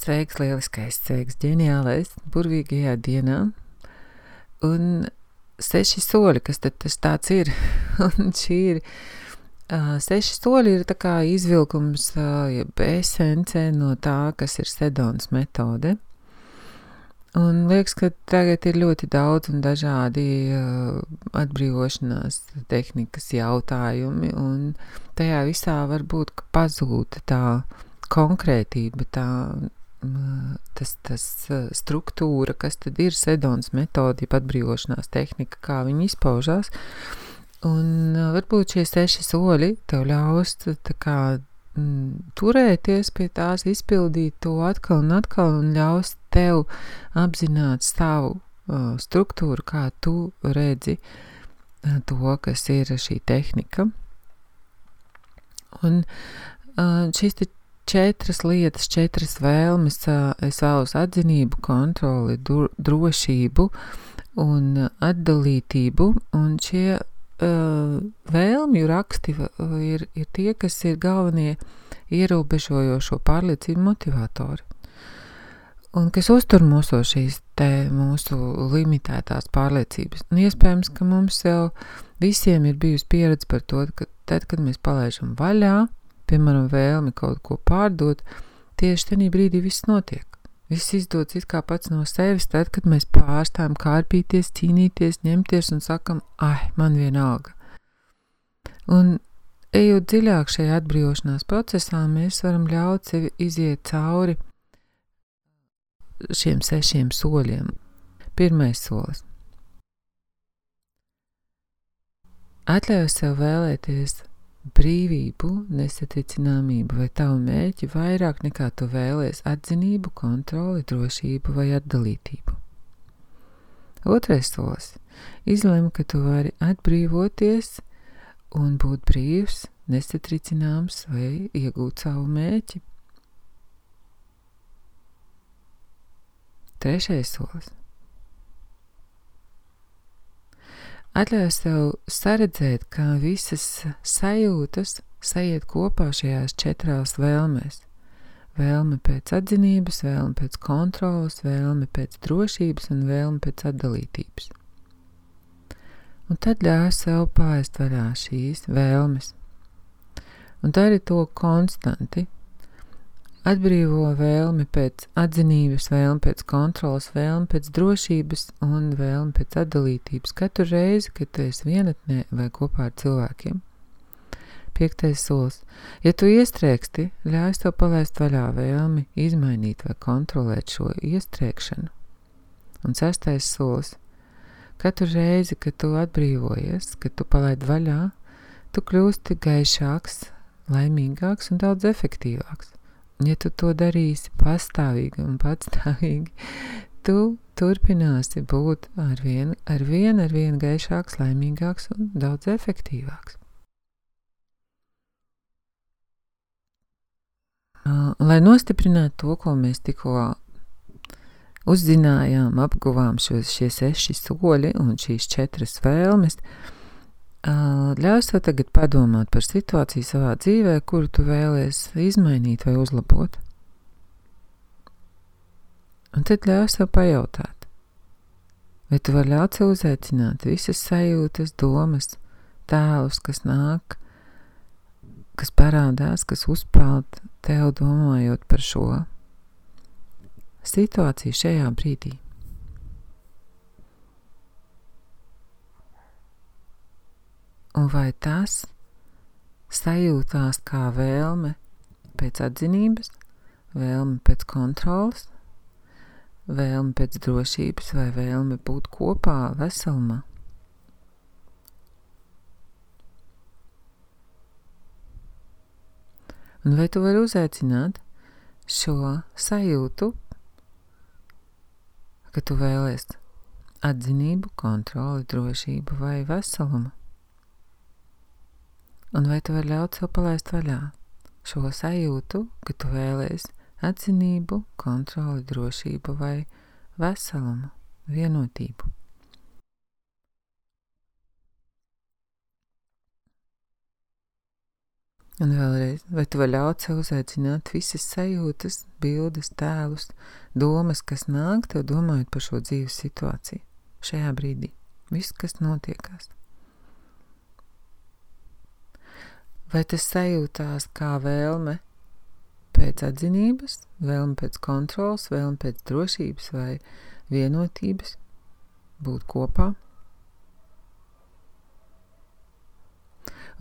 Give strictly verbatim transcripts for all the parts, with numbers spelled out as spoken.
Sveiks, lieliskais, sveiks, ģeniālais, burvīgajā dienā. Un seši soļi, kas tad tas tāds ir? Un šī ir, uh, seši soļi ir tā kā izvilkums, uh, jeb esence no tā, kas ir Sedonas metode. Un liekas, ka tagad ir ļoti daudz un dažādi uh, atbrīvošanās tehnikas jautājumi, un tajā visā varbūt pazūd tā konkrētība, tā Tas, tas struktūra, kas tad ir Sedonas metode, jeb atbrīvošanās tehnika, kā viņi izpaužās. Un varbūt šie seši soļi tev ļaus tā kā m, turēties pie tās, izpildīt to atkal un atkal un ļaus tev apzināt savu uh, struktūru, kā tu redzi uh, to, kas ir šī tehnika. Un uh, šīs te četras lietas, četras vēlmes, es vēlos atzinību, kontroli, drošību un atdalītību, un šie uh, vēlmju raksti ir, ir tie, kas ir galvenie ierobežojošo pārliecību motivatori, un kas uztur mūsu šīs te mūsu limitētās pārliecības. Un iespējams, ka mums jau visiem ir bijusi pieredze par to, ka tad, kad mēs palaižam vaļā, piemēram, vēlmi kaut ko pārdot, tieši tenī brīdī viss notiek. Viss izdodas it kā pats no sevis, tad, kad mēs pārstājam kārpīties, cīnīties, ņemties un sakam, ai, man vienalga. Un, ejot dziļāk šajā atbrīvošanās procesā, mēs varam ļaut sevi iziet cauri šiem sešiem soļiem. Pirmais solis. Atļauj sev vēlēties brīvību, nesatricināmību vai tavu mērķi vairāk nekā tu vēlies atzinību, kontroli, drošību vai atdalītību. Otrais solis. Izlem, ka tu vari atbrīvoties un būt brīvs, nesatricināms vai iegūt savu mērķi. Trešais solis. Atļauj sev saredzēt, kā visas sajūtas sajiet kopā šajās četrās vēlmēs. Vēlme pēc atzinības, vēlme pēc kontrolas, vēlme pēc drošības un vēlme pēc atdalītības. Un tad ļauj sev palaist vaļā šīs vēlmes. Un dari to konstanti. Atbrīvo vēlmi pēc atzinības, vēlmi pēc kontrolas, vēlmi pēc drošības un vēlmi pēc atdalītības katru reizi, kad tu esi vienatnē vai kopā ar cilvēkiem. Piektais solis. Ja tu iestrēgsti, ļauj tev palaist vaļā vēlmi izmainīt vai kontrolēt šo iestrēgšanu. Un sestais solis. Katru reizi, kad tu atbrīvojies, kad tu palaid vaļā, tu kļūsti gaišāks, laimīgāks un daudz efektīvāks. Ja tu to darīsi pastāvīgi un patstāvīgi, tu turpināsi būt ar vienu, ar vienu, ar vienu gaišāks, laimīgāks un daudz efektīvāks. Lai nostiprinātu to, ko mēs tikko uzzinājām, apguvām šos, šie seši soļi un šīs četras vēlmes, ļauj sev tagad padomāt par situāciju savā dzīvē, kuru tu vēlies izmainīt vai uzlabot. Un tad ļauj sev pajautāt, vai tu vari ļaut sev uzaicināt visas sajūtas, domas, tēlus, kas nāk, kas parādās, kas uzpeld tev domājot par šo situāciju šajā brīdī. Un vai tas sajūtās kā vēlme pēc atzinības, vēlme pēc kontrolas, vēlme pēc drošības vai vēlme būt kopā veselumā? Un vai tu vari uzaicināt šo sajūtu, ka tu vēlies atzinību, kontroli, drošību vai veselumu? Un vai tu vari ļaut sev palaist vaļā šo sajūtu, ka tu vēlies atzinību, kontroli, drošību vai veselumu, vienotību? Un vēlreiz, vai tu vari ļaut sev uzaicināt visas sajūtas, bildes, tēlus, domas, kas nāk tev domājot par šo dzīves situāciju šajā brīdī. Viss, kas notiekās. Vai tas sajūtās kā vēlme pēc atzinības, vēlme pēc kontrols, vēlme pēc drošības vai vienotības, būt kopā?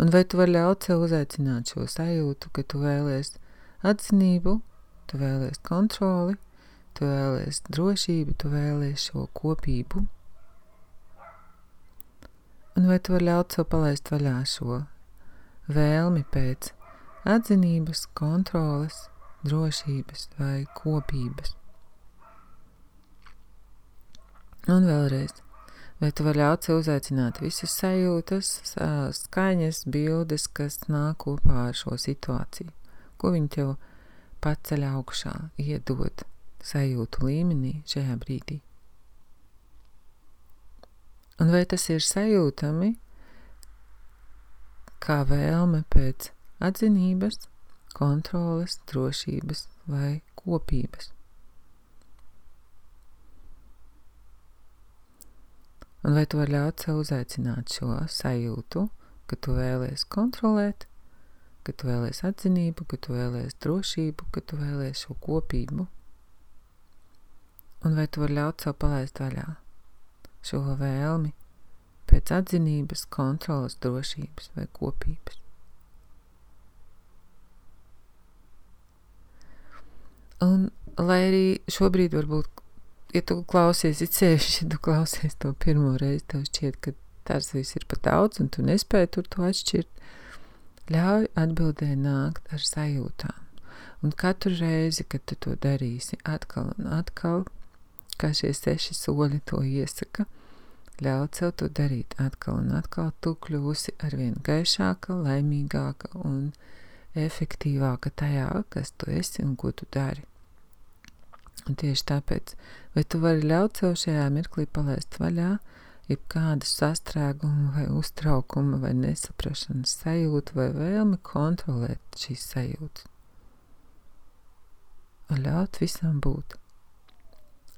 Un vai tu vari ļaut sev uzaicināt šo sajūtu, ka tu vēlies atzinību, tu vēlies kontroli, tu vēlies drošību, tu vēlies šo kopību? Un vai tu vari ļaut sev palaist vaļā šo vēlmi pēc atzinības, kontroles, drošības vai kopības? Un vēlreiz, vai tu vari ļaut sev uzaicināt visas sajūtas, skaņas, bildes, kas nāk kopā ar šo situāciju? Ko viņi tev paceļ augšā, iedod sajūtu līmenī šajā brīdī? Un vai tas ir sajūtami kā vēlme pēc atzinības, kontroles, drošības vai kopības? Un vai tu vari ļaut sev uzaicināt šo sajūtu, ka tu vēlies kontrolēt, ka tu vēlies atzinību, ka tu vēlies drošību, ka tu vēlies šo kopību? Un vai tu vari ļaut sev palaist vaļā šo vēlmi pēc atzinības, kontroles, drošības vai kopības? Un lai arī šobrīd varbūt, ja tu klausies, it sevišķi, ja tu klausies to pirmo reizi, tev šķiet, ka tas viss ir pa daudz un tu nespēji tur to atšķirt, ļauj atbildē nākt ar sajūtām. Un katru reizi, kad tu to darīsi atkal un atkal, kā šie seši soļi to iesaka, ļaut sev to darīt atkal un atkal, tu kļūsi arvien gaišāka, laimīgāka un efektīvāka tajā, kas tu esi un ko tu dari. Un tieši tāpēc, vai tu vari ļaut sev šajā mirklī palaist vaļā, jebkādu sastrēgumu vai uztraukumu vai nesaprašanas sajūtu vai vēlmi kontrolēt šīs sajūtas. Un ļaut visam būt.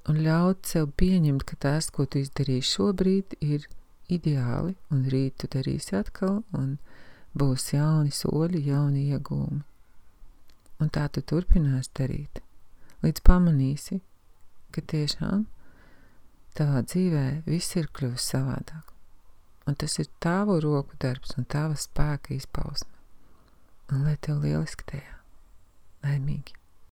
Un ļaut sev pieņemt, ka tas, ko tu izdarīsi šobrīd, ir ideāli, un rīt tu darīsi atkal, un būs jauni soļi, jauni iegūmi. Un tā tu turpinās darīt, līdz pamanīsi, ka tiešām tavā dzīvē viss ir kļuvis savādāk. Un tas ir tavu roku darbs un tava spēka izpausme. Un lai tev lieliski tajā. Laimīgi.